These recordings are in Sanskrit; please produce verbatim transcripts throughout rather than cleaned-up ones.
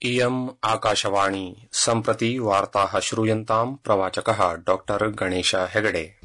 इयम् आकाशवाणी सम्प्रति वार्ताः श्रूयन्ताम् प्रवाचकः डॉक्टर गणेश हेगडे।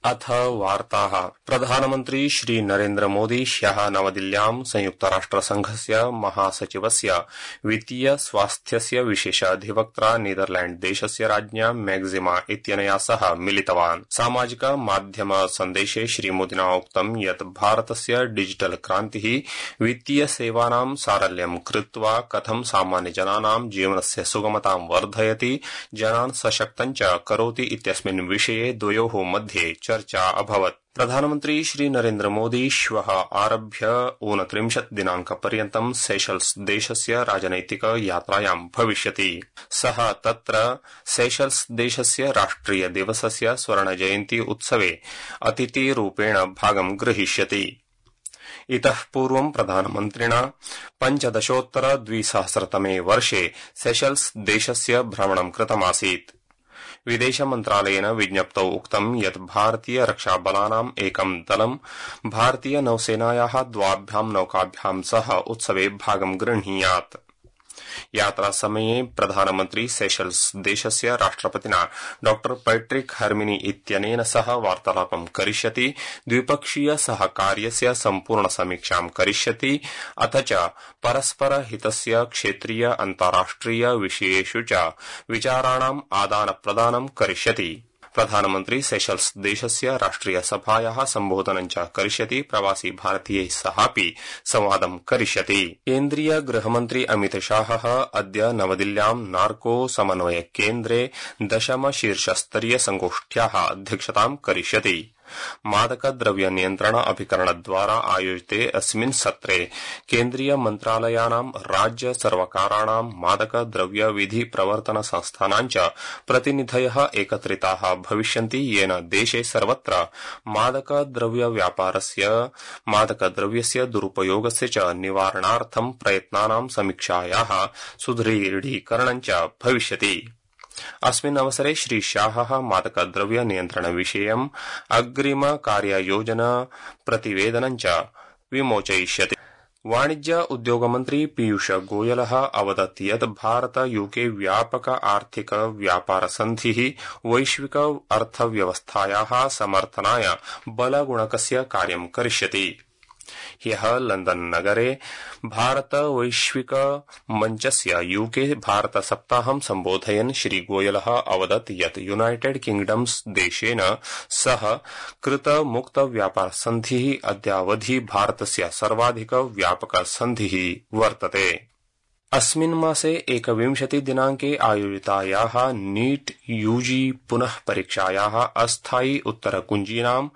अथ वार्ताः। प्रधानमन्त्री श्री नरेन्द्र मोदी ह्यः नवदिल्ल्यां संयुक्तराष्ट्रसंघस्य महासचिवस्य वित्तीय स्वास्थ्यस्य विशेषाधिवक्त्रा नीदरलैण्ड देशस्य राज्ञा मैक्सिमा इत्यनया सह मिलितवान्। सामाजिक माध्यम सन्देशे श्रीमोदिना उक्तं यत् भारतस्य डिजिटल क्रान्तिः वित्तीय सेवानां सारल्यं कृत्वा कथं सामान्यजनानां जीवनस्य सुगमतां वर्धयति, जनान् सशक्तं च करोति इत्यस्मिन् विषये द्वयोः मध्ये चर्चा अभवत्। प्रधानमन्त्री श्री नरेन्द्र मोदी श्वः आरभ्य ऊनत्रिंशत् दिनाङ्कपर्यन्तं सेशल्स देशस्य राजनैतिक यात्रायां भविष्यति। सः तत्र सेशल्स देशस्य राष्ट्रिय दिवसस्य स्वर्णजयन्ती उत्सवे अतिथिरूपेण भागं ग्रहीष्यति। इतः पूर्वं प्रधानमन्त्रिणा पञ्चदशोत्तर द्विसहस्रतमे वर्षे सेशल्स देशस्य भ्रमणं कृतमासीत्। विदेश मन्त्रालयेन विज्ञप्तौ उक्तं यत् भारतीय रक्षाबलानाम् एकं दलं भारतीय नौसेनायाः द्वाभ्यां नौकाभ्यां सह उत्सवे भागं गृह्णीयात्। यात्रासमये प्रधानमन्त्री सेशल्स देशस्य राष्ट्रपतिना डॉ पैट्रिक हर्मिनी इत्यनेन सह वार्तालापं करिष्यति, द्विपक्षीय सहकार्यस्य सम्पूर्ण समीक्षां करिष्यति, अथ च परस्परहितस्य क्षेत्रीय अन्ताराष्ट्रिय विषयेषु च विचाराणाम् आदानप्रदानं करिष्यति। प्रधानमन्त्री सेशल्स देशस्य राष्ट्रिय सभायाः सम्बोधनं च करिष्यति, प्रवासी भारतीयैः सहापि संवादं करिष्यति। केन्द्रीय गृहमन्त्री अमित शाहः अद्य नवदिल्ल्यां नार्को समन्वय केन्द्रे दशम शीर्षस्तरीय संगोष्ठ्याः अध्यक्षतां करिष्यति। मादकद्रव्य नियन्त्रण अभिकरणद्वारा आयोजिते अस्मिन् सत्रे केन्द्रीय मन्त्रालयानां, राज्य सर्वकाराणां, मादकद्रव्य विधि प्रवर्तन संस्थानां च प्रतिनिधयः एकत्रिताः भविष्यन्ति, येन देशे सर्वत्र मादकद्रव्य व्यापारस्य, मादकद्रव्यस्य दुरुपयोगस्य च निवारणार्थं प्रयत्नानां समीक्षायाः सुदृढीकरणं च भविष्यति। अस्मिन् अवसरे श्री शाहः मादकद्रव्य नियन्त्रण विषयम् अग्रिम कार्ययोजना प्रतिवेदनं च विमोचयिष्यति। वाणिज्य उद्योगमन्त्री पीयूष गोयलः अवदत् यत् भारत यूके व्यापक आर्थिक व्यापार सन्धिः वैश्विक अर्थव्यवस्थायाः समर्थनाय बलगुणकस्य कार्यं करिष्यति। ह्यः लंदन नगरे भारत वैश्विक मञ्चस्य यूके भारत सप्ताहं सम्बोधयन् श्री गोयलः अवदत् यत् यूनाइटेड किंगडम्स देशेन सह कृत मुक्त व्यापार सन्धिः अद्यावधि भारतस्य सर्वाधिक व्यापक सन्धिः वर्तते। अस्मिन् मासे एकविंशति दिनाङ्के आयोजितायाः नीट यूजी पुनः परीक्षायाः अस्थायि उत्तरकुञ्जीनां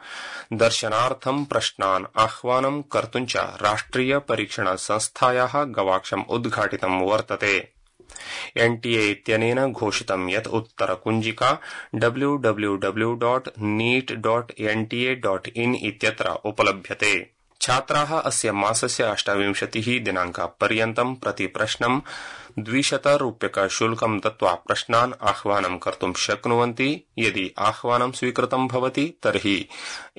दर्शनार्थं प्रश्नान् आह्वानं कर्तुं च राष्ट्रिय परीक्षण संस्थायाः गवाक्षम् उद्घाटितं वर्तते। एनटीए इत्यनेन घोषितं यत् उत्तरकुञ्जिका W W W dot NEET dot NTA dot in इत्यत्र उपलभ्यते। छात्राः अस्य मासस्य अष्टाविंशतिः दिनाङ्कपर्यन्तं प्रतिप्रश्नं द्विशत रूप्यक शुल्कं दत्त्वा प्रश्नान् आह्वानं कर्तुं शक्नुवन्ति। यदि आह्वानं स्वीकृतं भवति तर्हि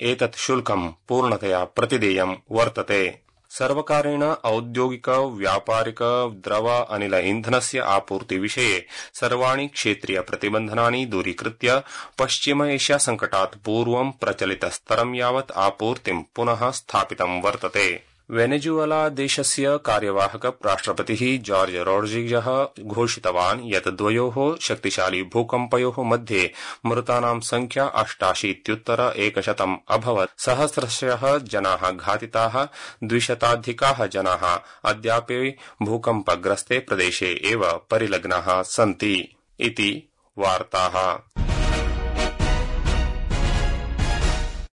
एतत् शुल्कं पूर्णतया प्रतिदेयं वर्तते। सर्वकारेण औद्योगिक व्यापारिक द्रव अनिल इन्धनस्य आपूर्ति विषये सर्वाणि क्षेत्रीय प्रतिबन्धनानि दूरीकृत्य पश्चिम एशिया संकटात् पूर्वं प्रचलितस्तरं यावत् आपूर्तिं पुनः स्थापितं वर्तते। वेनेजुएला देशस्य कार्यवाहक राष्ट्रपतिः जॉर्ज रोड्रिगज़ घोषितवान् यत् द्वयोः शक्तिशाली भूकम्पयोः मध्ये मृतानां संख्या अष्टाशीत्युत्तर एकशतम् अभवत्। सहस्रशः जनाः घातिताः, द्विशताधिकाः जनाः अद्यापि भूकम्पग्रस्ते प्रदेशे एव परिलग्नाः सन्ति। इति वार्ताः।